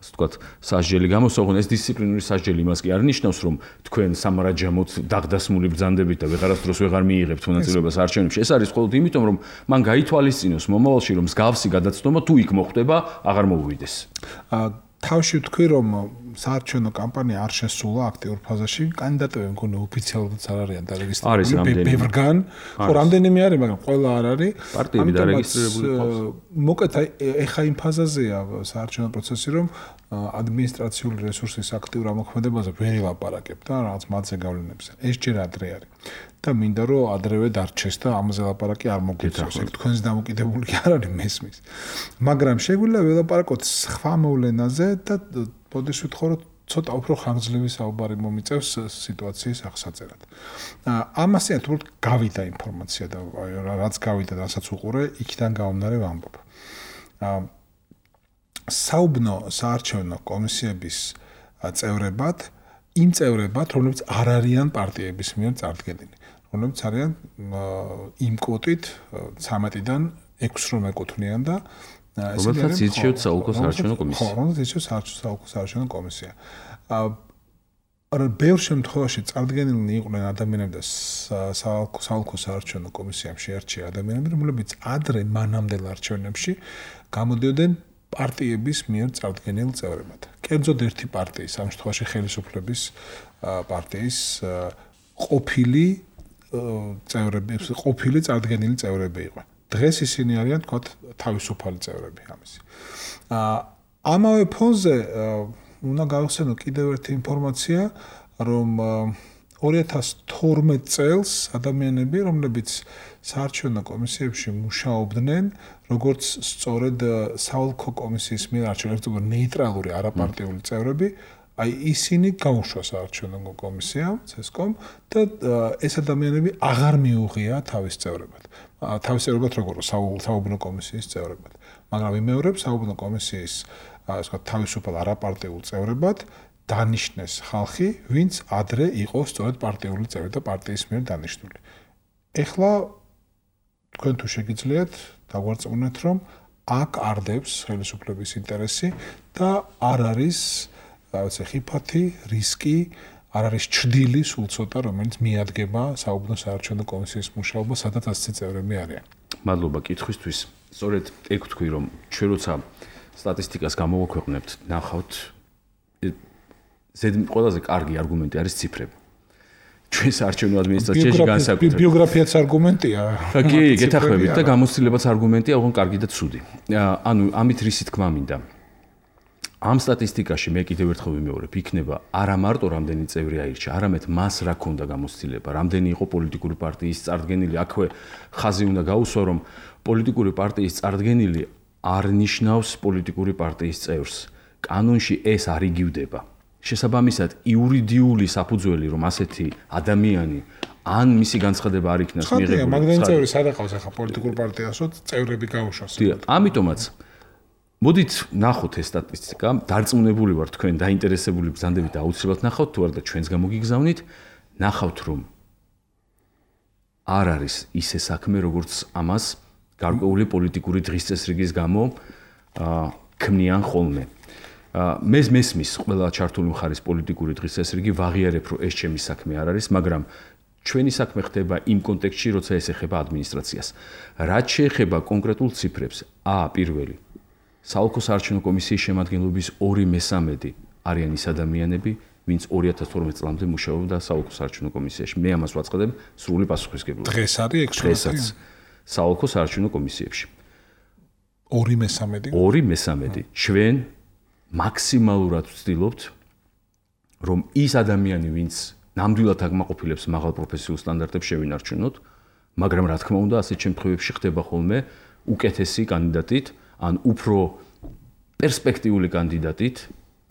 ასე ვთქვათ სასჯელი გამოსაუღონ. ეს დისციპლინური სასჯელი იმას კი არ ნიშნავს, რომ თქვენ სამარაჯამოთ დაღდასმული ბრძანდებით და ვეღარასდროს ვეღარ მიიღებთ მონაწილეობას არჩევნებში. ეს არის მხოლოდ იმიტომ, რომ მან გაითვალისწინოს მომავალში, რომ მსგავსი გადაცდომა თუ იქ მოხდება, აღარ მოუვიდეს. თავში ვთქვი, რომ საარჩევნო კამპანია არ შესულა აქტიურ ფაზაში, კანდიდატები მგონი ოფიციალურადაც არ არიან დარეგისტრირებული. ბევრგან, ხო, რამდენიმე არის, მაგრამ ყველა არ არის. პარტიები დარეგისტრირებული ყავს. მოკეთ, ეხა იმ ფაზაზეა საარჩევნო პროცესი, რომ ადმინისტრაციული რესურსის აქტიურ ამოქმედებაზე ვერ ელაპარაკებ და რაღაც მათზე გავლენებზე. ეს ჯერ ადრე არის. და მინდა რომ ადრევე დარჩეს და ამაზე ლაპარაკი არ მოგეწევს. ეგ თქვენს დამოკიდებული კი არ არის მესმის. მაგრამ შეგვიძლია ველაპარაკოთ სხვა მოვლენაზე და ბოდიშ ვთხოვოთ ცოტა უფრო ხანგრძლივი საუბარი მომიწევს სიტუაციის აღსაწერად. ამასთან თუმცა გავიდა ინფორმაცია და რაც გავიდა, რასაც უყურე, იქიდან გამომდინარე ვამბობ. საუბნო საარჩევნო კომისიების წევრებად, იმ წევრებად, რომლებიც არ არიან პარტიების მიერ წარდგენილი, რომლებიც არიან იმ კვოტით 13-დან 6 რომ ეკუთვნიან და რომელთაც ირჩევთ საოლქო საარჩევნო კომისია. ხო, რომელთაც ირჩევთ საოლქო საარჩევნო კომისია. ბევრ შემთხვევაში წარდგენილნი იყვნენ ადამიანები და საოლქო საარჩევნო კომისიამ შეარჩია ადამიანები, რომლებიც ადრე მანამდელ არჩევნებში გამოდიოდნენ პარტიების მიერ წარდგენილ წევრებად. კერძოდ ერთი პარტიის, ამ შემთხვევაში ხელისუფლების პარტიის ყოფილი წევრები, ყოფილი წარდგენილი წევრები იყვნენ. დღეს ისინი არიან თქვათ თავისუფალი წევრები ამისი. ამავე ფონზე უნდა გავხსენო კიდევ ერთი ინფორმაცია, რომ 2012 წელს ადამიანები, რომლებიც საარჩევნო კომისიებში მუშაობდნენ, როგორც სწორედ საოლქო კომისიის მიერ არჩეული ნეიტრალური არაპარტიული წევრები, აი ისინი გაუშვა საარჩევნო კომისიამ, CESCOM და ეს ადამიანები აღარ მიუღია თავის წევრებად. თავის წევრებად როგორ საუბნო კომისიის წევრებად. მაგრამ იმეორებ საუბნო კომისიის ასე ვთქვათ თავისუფალ არაპარტიულ წევრებად დანიშნეს ხალხი, ვინც ადრე იყო სწორედ პარტიული წევრი და პარტიის მიერ დანიშნული. ეხლა თქვენ თუ შეგიძლიათ დაგვარწმუნეთ, რომ აქ არდებს ხელისუფლების ინტერესი და არ არის რაღაცა ხიფათი, რისკი, არ არის ჩრდილი სულ ცოტა, რომელიც მიადგება საუბნო საარჩევნო კომისიის მუშაობა, სადაც ასეთი წევრები არიან. მადლობა კითხვისთვის. სწორედ ეგ ვთქვი, რომ ჩვენ როცა სტატისტიკას გამოვაქვეყნებთ, ნახავთ ყველაზე კარგი არგუმენტი არის ციფრები. ჩვენ საარჩევნო ადმინისტრაციაში განსაკუთრებით ბიოგრაფიაც არგუმენტია. კი, გეთახმებით და გამოცდილებაც არგუმენტია, ოღონდ კარგი და ცუდი. ანუ ამით რისი თქმა მინდა. ამ სტატისტიკაში მე კიდევ ერთხელ ვიმეორებ, იქნება არა მარტო რამდენი წევრი აირჩა, არამედ მას რა ქონდა გამოცდილება, რამდენი იყო პოლიტიკური პარტიის წარდგენილი. აქვე ხაზი უნდა გაუსვა, რომ პოლიტიკური პარტიის წარდგენილი არ ნიშნავს პოლიტიკური პარტიის წევრს. კანონში ეს არ იგივდება. შესაბამისად, იურიდიული საფუძველი, რომ ასეთი ადამიანი ან მისი განცხადება არ იქნას მიღებული. მაგდენ წევრი სადაყავს ახლა პოლიტიკურ პარტიასო წევრები გაუშვას. ამიტომაც მოდით ნახოთ ეს სტატისტიკა, დარწმუნებული ვარ თქვენ დაინტერესებული ბრძანდებით აუცილებლად ნახავთ თუ არა და ჩვენს გამოგიგზავნით, ნახავთ რომ არ არის ისე საქმე, როგორც ამას გარკვეული პოლიტიკური დღის წესრიგის გამო ქმნიან ხოლმე. მე მესმის ყველა ჩართული მხარის პოლიტიკური დღის წესრიგი ვაღიარებ, რომ ეს ჩემი საქმე არ არის, მაგრამ ჩვენი საქმე ხდება იმ კონტექსტში, როცა ეს ეხება ადმინისტრაციას. რაც შეეხება კონკრეტულ ციფრებს, პირველი საოლქო საარჩევნო კომისიის შემადგენლობის 2/3 არიან ის ადამიანები, ვინც 2012 წლამდე მუშაობდა საოლქო საარჩევნო კომისიაში. მე ამას ვაწყდებ სრული პასუხისგებლობით. დღეს არის დღესაც საოლქო საარჩევნო კომისიებში. 2/3. ჩვენ მაქსიმალურად ვცდილობთ, რომ ის ადამიანი, ვინც ნამდვილად აკმაყოფილებს მაღალ პროფესიულ სტანდარტებს შევინარჩუნოთ, მაგრამ რა თქმა უნდა, ასეთ შემთხვევებში ხდება ხოლმე უკეთესი კანდიდატით, ან უფრო პერსპექტიული კანდიდატით,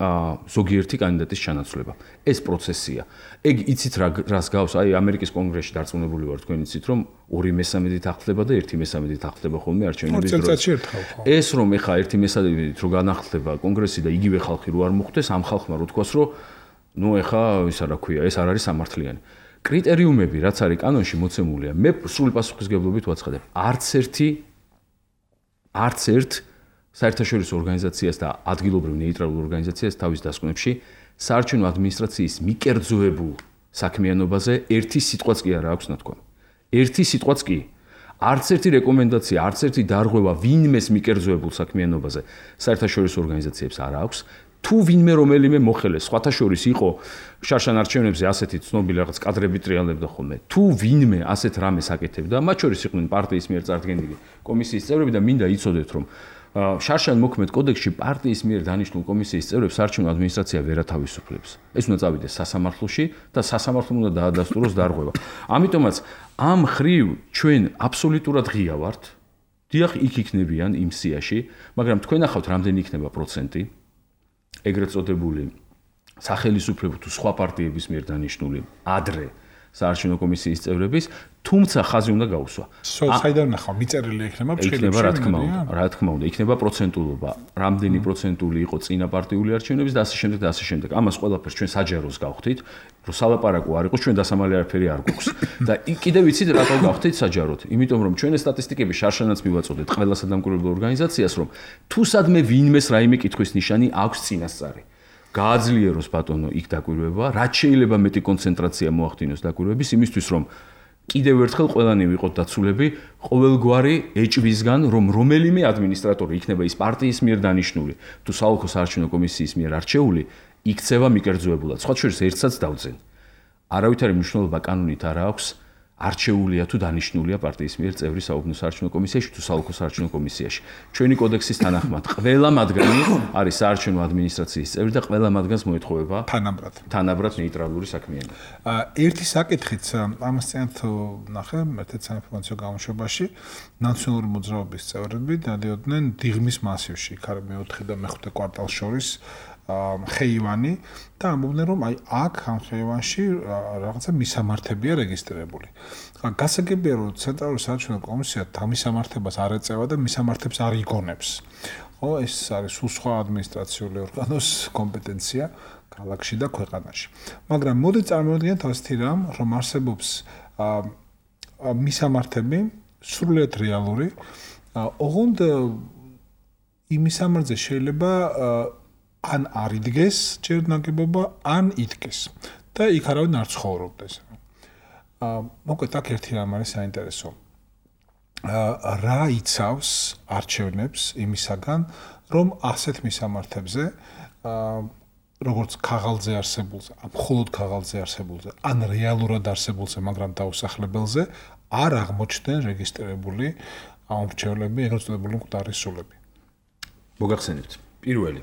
ზოგიერთი კანდიდატის ჩანაცვლება. ეს პროცესია. ეგ იცით რას გავს? ამერიკის კონგრესში დარწმუნებული ვარ თქვენ იცით, რომ 2/3 ახდება და 1/3 ახდება ხოლმე არჩევნების დროს. ეს რომ ეხა 1/3 რო განახლდება კონგრესი და იგივე ხალხი რო არ მოხვდეს, ამ ხალხმა რო თქვას, რომ ნუ ეხა ისა რა ქვია, ეს არ არის სამართლიანი. კრიტერიუმები, რაც არის კანონში მოცემულია, მე სრული პასუხისგებლობით ვაცხადებ. არც ერთ საერთაშორისო ორგანიზაციას და ადგილობრივ ნეიტრალურ ორგანიზაციას თავის დასკვნებში საარჩევნო ადმინისტრაციის მიკერძოებულ საქმიანობაზე ერთი სიტყვაც კი არ აქვს ნათქვამი. ერთი სიტყვაც კი. არც ერთი რეკომენდაცია, არც ერთი დარღვევა ვინმეს მიკერძოებულ საქმიანობაზე საერთაშორისო ორგანიზაციებს არ აქვს. თუ ვინმე რომელიმე მოხელე სხვათა შორის იყო შარშან არჩევნებზე ასეთი ცნობილი რაღაც კადრები ტრიალებდა ხოლმე. თუ ვინმე ასეთ რამეს აკეთებდა, მათ შორის იყვნენ პარტიის მიერ წარდგენილი კომისიის წევრები და მინდა იცოდეთ, რომ შარშან მოქმედ კოდექსში პარტიის მიერ დანიშნულ კომისიის წევრებს საარჩევნო ადმინისტრაცია ვერ ათავისუფლებს. ეს უნდა წავიდეს სასამართლოში და სასამართლომ უნდა დაადასტუროს დარღვევა. ამიტომაც ამ ხრივ ჩვენ აბსოლუტურად ღია ვართ. დიახ, იქ იქნებიან იმ სიაში, მაგრამ თქვენ ახავთ რამდენი იქნება პროცენტი ეგრეთ წოდებული სახელისუფლებო თუ სხვა პარტიების მიერ დანიშნული ადრე საარჩევნო კომისიის წევრების, თუმცა ხაზი უნდა გაუსვა. საიდან ნახავ, მიწერილი იქნება ფრთხილებში? იქნება რა თქმა უნდა, იქნება პროცენტულობა, რამდენი პროცენტული იყო წინა პარტიული არჩევნების და ასე შემდეგ და ასე შემდეგ. ამას ყველაფერს ჩვენ საჯაროს გავხდით, რომ სალაპარაკო არ იყოს, ჩვენ დასამალი არაფერი არ გვაქვს. და კიდევ ვიცით რატო გავხდით საჯაროდ? იმიტომ რომ ჩვენ ეს სტატისტიკები შარშანაც მივაწოდეთ ყველა სადამკვირვებლო ორგანიზაციას, რომ თუ სადმე ვინმეს რაიმე კითხვის ნიშანი აქვს წინასწარი. გააძლიეროს ბატონო იქ დაკვირვება, რაც შეიძლება მეტი კონცენტრაცია მოახდინოს დაკვირვების იმისთვის, რომ კიდევ ერთხელ ყველანი ვიყოთ დაცულები ყოველგვარი ეჭვისგან, რომ რომელიმე ადმინისტრატორი იქნება ის პარტიის მიერ დანიშნული, თუ საოლქო საარჩევნო კომისიის მიერ არჩეული, იქცევა მიკერძოებულად. სხვა შორის ერთსაც დავძენ. არავითარი მნიშვნელობა კანონით არ აქვს, არჩეულია თუ დანიშნულია პარტიის მიერ წევრი საუბნო საარჩევნო კომისიაში თუ საოლქო საარჩევნო კომისიაში. ჩვენი კოდექსის თანახმად, ყველა მათგანი არის საარჩევნო ადმინისტრაციის წევრი და ყველა მათგანს მოეთხოვება თანაბრად ნეიტრალური საქმიანობა. ერთი საკითხიც ამას წინათ ნახე, ერთ-ერთ საინფორმაციო გამოშვებაში, ნაციონალური მოძრაობის წევრები დადიოდნენ დიღმის მასივში, იქ არის მე-4 და მე-5 კვარტალს შორის ხეივანი და ამბობდნენ რომ აქ ამ ხეივანში რაღაცა მისამართებია რეგისტრირებული. გასაგებია რომ ცენტრალური საარჩევნო კომისია თამისამართებას არ ეწევა და მისამართებს არ იგონებს. ეს არის სხვა ადმინისტრაციული ორგანოს კომპეტენცია ქალაქში და ქვეყანაში. მაგრამ მოდი წარმოვიდგინოთ ასეთი რამ, რომ არსებობს მისამართები სრულიად რეალური, ოღონდ იმისამართზე შეიძლება ან არ იდგეს ჯერ ნაგებობა, ან იდგეს და იქ არავინ არ ცხოვრობდეს. მოკლედ აქ ერთი რამ არის საინტერესო. რა იცავს არჩევნებს იმისაგან, რომ ასეთ მისამართებზე, როგორც ქაღალდზე არსებულზე, მხოლოდ ქაღალდზე არსებულზე, ან რეალურად არსებულზე, მაგრამ დაუსახლებელზე, არ აღმოჩნდნენ რეგისტრირებული ამრჩევლები, ეგრეთ წოდებული მკვდარი სულები. მოგახსენებთ. პირველი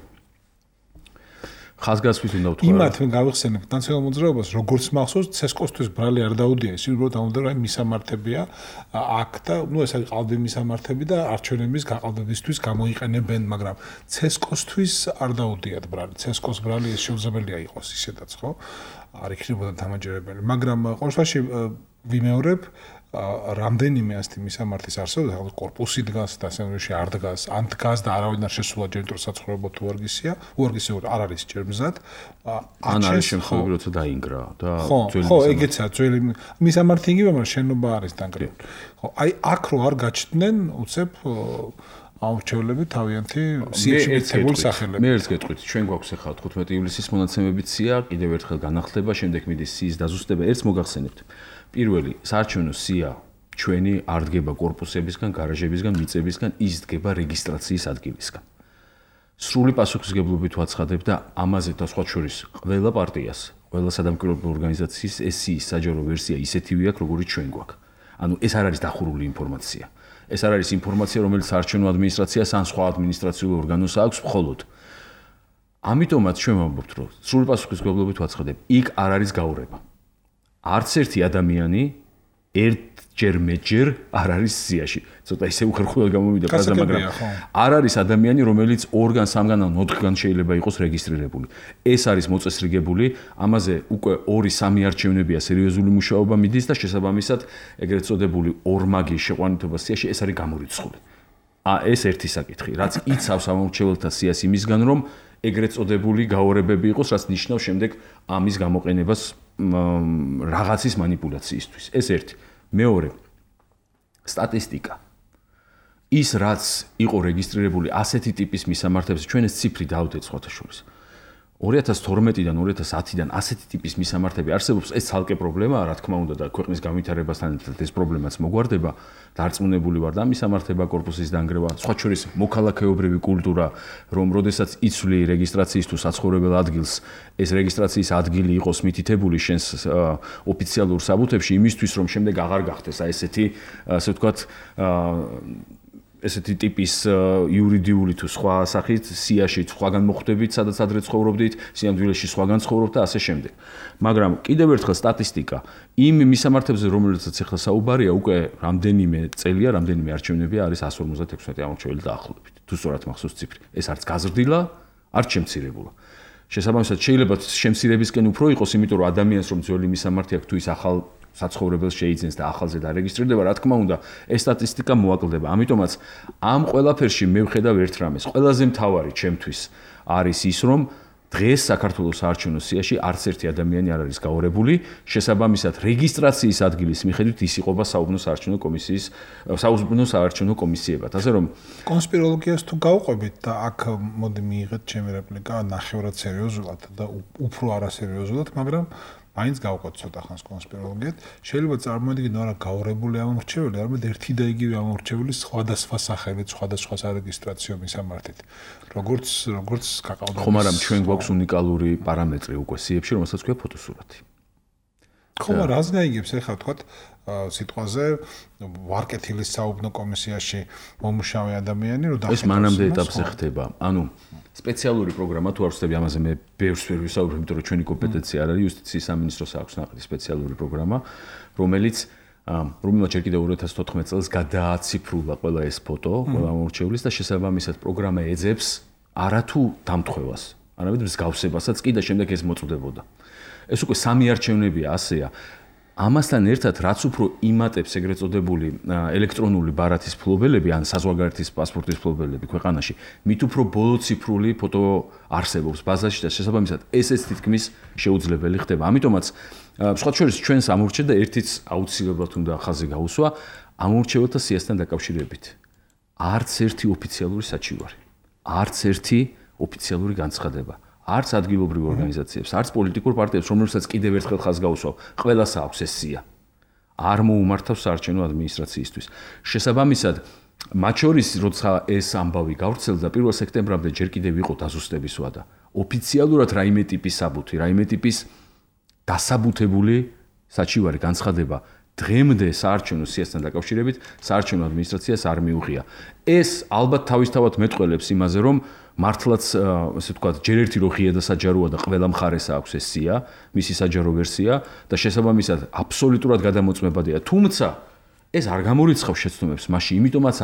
ხაზგასმით უნდა ვთქვა. იმათ მე გავიხსენებ ნაციონალურ მოძრაობას, როგორც მახსოვს, ცესკოსთვის ბრალი არ დაუდია, ის უბრალოდ ამოდროა მისამართებია აქ და ნუ ეს არის ყალბი მისამართები და არჩევნების გაყალბებისთვის გამოიყენებენ, მაგრამ ცესკოსთვის არ დაუდიათ ბრალი. ცესკოს ბრალი ეს შეუძლებელია იყოს ისედაც, ხო? არ იქნებოდა დამაჯერებელი, მაგრამ ყოველ შემთხვევაში ვიმეორებ რამდენიმე ასეთი მისამართის არსებობს, ახლა კორპუსი დგას და სენდვიჩი არ დგას, ან დგას და არავინ არ შესულა ჯერ საცხოვრებლად თუ უარგისია, არ არის ჯერ მზად. ან არის შემთხვევები, როცა დაინგრა და ხო, ეგეცა ძველი მისამართი იგივე, მაგრამ შენობა არის დანგრეული. ხო, აი აქ რო არ გაჩნდნენ, უცებ აურჩევლები თავიანთი სიებში მიცემული სახელები. მე ერთს გეტყვით, ჩვენ გვაქვს ახლა 15 ივლისის მონაცემებით სია, კიდევ ერთხელ განახლდება, შემდეგ მიდის სიის დაზუსტება, ერთს მოგახსენებთ. პირველი, საარჩევნო სია ჩვენი არ დგება კორპუსებისგან, გარაჟებისგან, მიწებისგან, ის დგება რეგისტრაციის ადგილისგან. სრული პასუხისმგებლობით ვაცხადებ და ამაზე და სხვა შორის ყველა პარტიას, ყველა სადამკვირვებლო ორგანიზაციის ეს სიის საჯარო ვერსია ისეთივე აქვს, როგორიც ჩვენ გვაქვს. ანუ ეს არ არის დახურული ინფორმაცია. ეს არ არის ინფორმაცია, რომელიც საარჩევნო ადმინისტრაციას ან სხვა ადმინისტრაციულ ორგანოს აქვს მხოლოდ. ამიტომაც ჩვენ ვამბობთ, რომ სრული პასუხისმგებლობით ვაცხადებ, იქ არ არის გაურება. არც ერთი ადამიანი ერთჯერ არ არის სიაში. ცოტა ისე უხერხულად გამომიდა ფრაზა, მაგრამ არ არის ადამიანი, რომელიც 2-გან, 3-გან ან 4-გან შეიძლება იყოს რეგისტრირებული. ეს არის მოწესრიგებული, ამაზე უკვე 2-3 არჩევნებია სერიოზული მუშაობა მიდის და შესაბამისად ეგრეთ წოდებული ორმაგი შეყვანითობა სიაში ეს არის გამორიცხული. ეს ერთი საკითხი, რაც იცავს ამორჩეველთა სიას იმისგან, რომ ეგრეთ წოდებული გაორებები იყოს, რაც ნიშნავს შემდეგ ამის გამოყენებას რაღაცის манипуляციისთვის. ეს ერთი. მეორე, სტატისტიკა. ის რაც იყო რეგისტრირებული ასეთი ტიპის მისამართებზე, ჩვენ ეს ციფრი დავდეთ სხვათა შორის. 2012-დან 2010-დან ასეთი ტიპის მისამართები არსებობს, ეს ცალკე პრობლემაა, რა თქმა უნდა და ქვეყნის განვითარებასთან ერთად ეს პრობლემაც მოგვარდება. დარწმუნებული ვარ და მისამართება კორპუსის დანგრევა, სხვა შორის მოქალაქეობრივი კულტურა, რომ როდესაც იცვლი რეგისტრაციის თუ საცხოვრებელ ადგილს, ეს რეგისტრაციის ადგილი იყოს მითითებული შენს ოფიციალურ საბუთებში იმისთვის, რომ შემდეგ აღარ გახდეს ესეთი, ასე ვთქვათ, ესეთი ტიპის იურიდიული თუ სხვა სახით სიაში სხვაგან მოხვდებით, სადაც ადრე ცხოვრობდით, სიამდვილეში სხვაგან ცხოვრობთ და ასე შემდეგ. მაგრამ კიდევ ერთხელ სტატისტიკა იმ მისამართებზე, რომელიცაც ახლა საუბარია, უკვე რამდენიმე წელია, რამდენიმე არჩევნებია არის 156 ამორჩეველი დაახლოებით. თუ სწორად მახსოვს ციფრი. ეს არც გაზრდილა, არც შემცირებულა. შესაბამისად შეიძლება შემცირებისკენ უფრო იყოს, იმიტომ რომ ადამიანს რომ ძველი მისამართი აქვს თუ ის ახალ საცხოვრებელს შეიძენს და ახალზე დარეგისტრირდება, რა თქმა უნდა, ეს სტატისტიკა მოაკლდება. ამიტომაც ამ ყველაფერში მე ვხედავ ერთ რამეს. ყველაზე მთავარი ჩემთვის არის ის, რომ დღეს საქართველოს საარჩევნო სიაში არც ერთი ადამიანი არ არის გაორებული, შესაბამისად რეგისტრაციის ადგილის მიხედვით ის იყოფა საუბნო საარჩევნო კომისიის, საუბნო საარჩევნო კომისიებად. ასე რომ კონსპიროლოგიას თუ გავყვებით და აქ მოდი მიიღეთ ჩემი რეპლიკა ნახევრად სერიოზულად და უფრო არასერიოზულად, მაგრამ მაინც გავყვეთ ცოტა ხანს კონსპიროლოგიად. შეიძლება წარმოიდგინო არა გაურებული ამორჩეველი, არამედ ერთი და იგივე ამორჩეველი სხვადასხვა სახელით, სხვადასხვა სარეგისტრაციო მისამართით. როგორც გაყავდა. ხომ არა, ჩვენ გვაქვს უნიკალური პარამეტრი უკვე სიებში, რომელსაც ქვია ფოტოსურათი. ხომ არა, რას გაიგებს ახლა თქვათ სიტყვაზე ვარკეთილის საუბნო კომისიაში მომუშავე ადამიანი, რომ ეს მანამდე ეტაპზე ხდება. ანუ სპეციალური პროგრამა თუ არ ვწდები ამაზე მე ბევრს ვერ ვისაუბრებ, იმიტომ რომ ჩვენი კომპეტენცია არ არის, იუსტიციის სამინისტროს აქვს ნაყიდი სპეციალური პროგრამა, რომელიც ჯერ კიდევ 2014 წელს გადააციფრულა ყველა ეს ფოტო, ყველა ამორჩევლის და შესაბამისად პროგრამა ეძებს არათუ დამტყვევას, არამედ მსგავსებასაც კი და შემდეგ ეს მოწვდებოდა. ეს უკვე 3 არჩევნებია ასეა. ამასთან ერთად, რაც უფრო იმატებს ეგრეთ წოდებული ელექტრონული ბარათის ფლობელები ან საზღვარგარეთის პასპორტის ფლობელები ქვეყანაში, მით უფრო ბოლოციფრული ფოტო არსებობს ბაზაში და შესაბამისად ესეც თითქმის შეუძლებელი ხდება. ამიტომაც სხვა შორის ჩვენს ამორჩევ და ერთიც აუცილებლად უნდა ხაზი გაუსვა ამორჩეველთა სიასთან დაკავშირებით. არც ერთი ოფიციალური საჩივარი, არც ერთი ოფიციალური განცხადება. არც ადგილობრივ ორგანიზაციებს, არც პოლიტიკურ პარტიებს, რომელსაც კიდევ ერთხელ ხაზს გაუსვავ, ყველას აქვს ეს სია. არ მოუმართავს საარჩევნო ადმინისტრაციისთვის. შესაბამისად, მათ შორის, როცა ეს ამბავი გავრცელდა 1 სექტემბრამდე ჯერ კიდევ იყო დაზუსტების ვადა. ოფიციალურად რაიმე ტიპის საბუთი, რაიმე ტიპის დასაბუთებული საჩივარი განცხადება დღემდე საარჩევნო სიასთან დაკავშირებით საარჩევნო ადმინისტრაციას არ მიუღია. ეს ალბათ თავისთავად მეტყველებს იმაზე, რომ მართლაც ესე ვთქვათ, ჯერ ერთი რო ღია და საჯაროა და ყველა მხარეს აქვს ეს სია, მისი საჯარო ვერსია და შესაბამისად აბსოლუტურად გადამოწმებადია. თუმცა ეს არ გამორიცხავს შეცდომებს მასში, იმიტომაც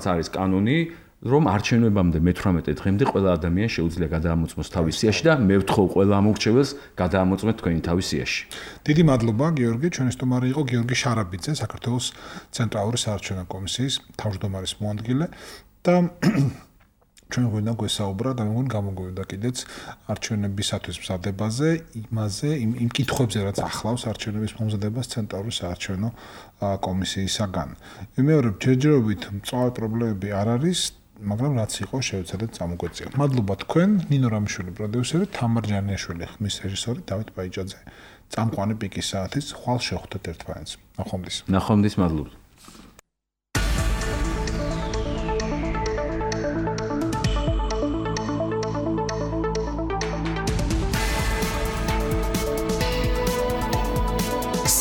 არის კანონი, რომ არჩევნებამდე მე-18 დღემდე ყველა ადამიანი შეუძლია გადაამოწმოს თავის სიაში და მე ვთხოვ ყველა ამორჩეველს გადაამოწმეთ თქვენი თავის სიაში. დიდი მადლობა გიორგი, ჩვენი სტუმარი იყო გიორგი შარაბიძე, საქართველოს ცენტრალური საარჩევნო კომისიის თავმჯდომარის მოადგილე და ჩვენ გვინდა გვესაუბრა და მეგონი გამოგვივიდა კიდეც არჩევნებისათვის მზადებაზე, იმ კითხვებზე, რაც ახლავს არჩევნების მომზადებას ცენტრალური საარჩევნო კომისიისაგან. ვიმეორებ, ჯერჯერობით მწვავე პრობლემები არ არის, მაგრამ რაც იყო შევეცადეთ წამოგვეწიოთ. მადლობა თქვენ, ნინო რამიშვილი პროდიუსერი, თამარ ჯანიაშვილი ხმის რეჟისორი, დავით ბაიჭაძე. წამყვანი პიკის საათის ხვალ შევხვდეთ ერთმანეთს. ნახვამდის. ნახვამდის, მადლობა.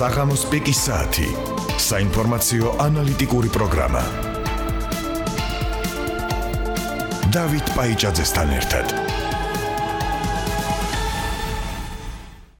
საღამოს პიკის საათი. საინფორმაციო ანალიტიკური პროგრამა. დავით ბაიჭაძესთან ერთად.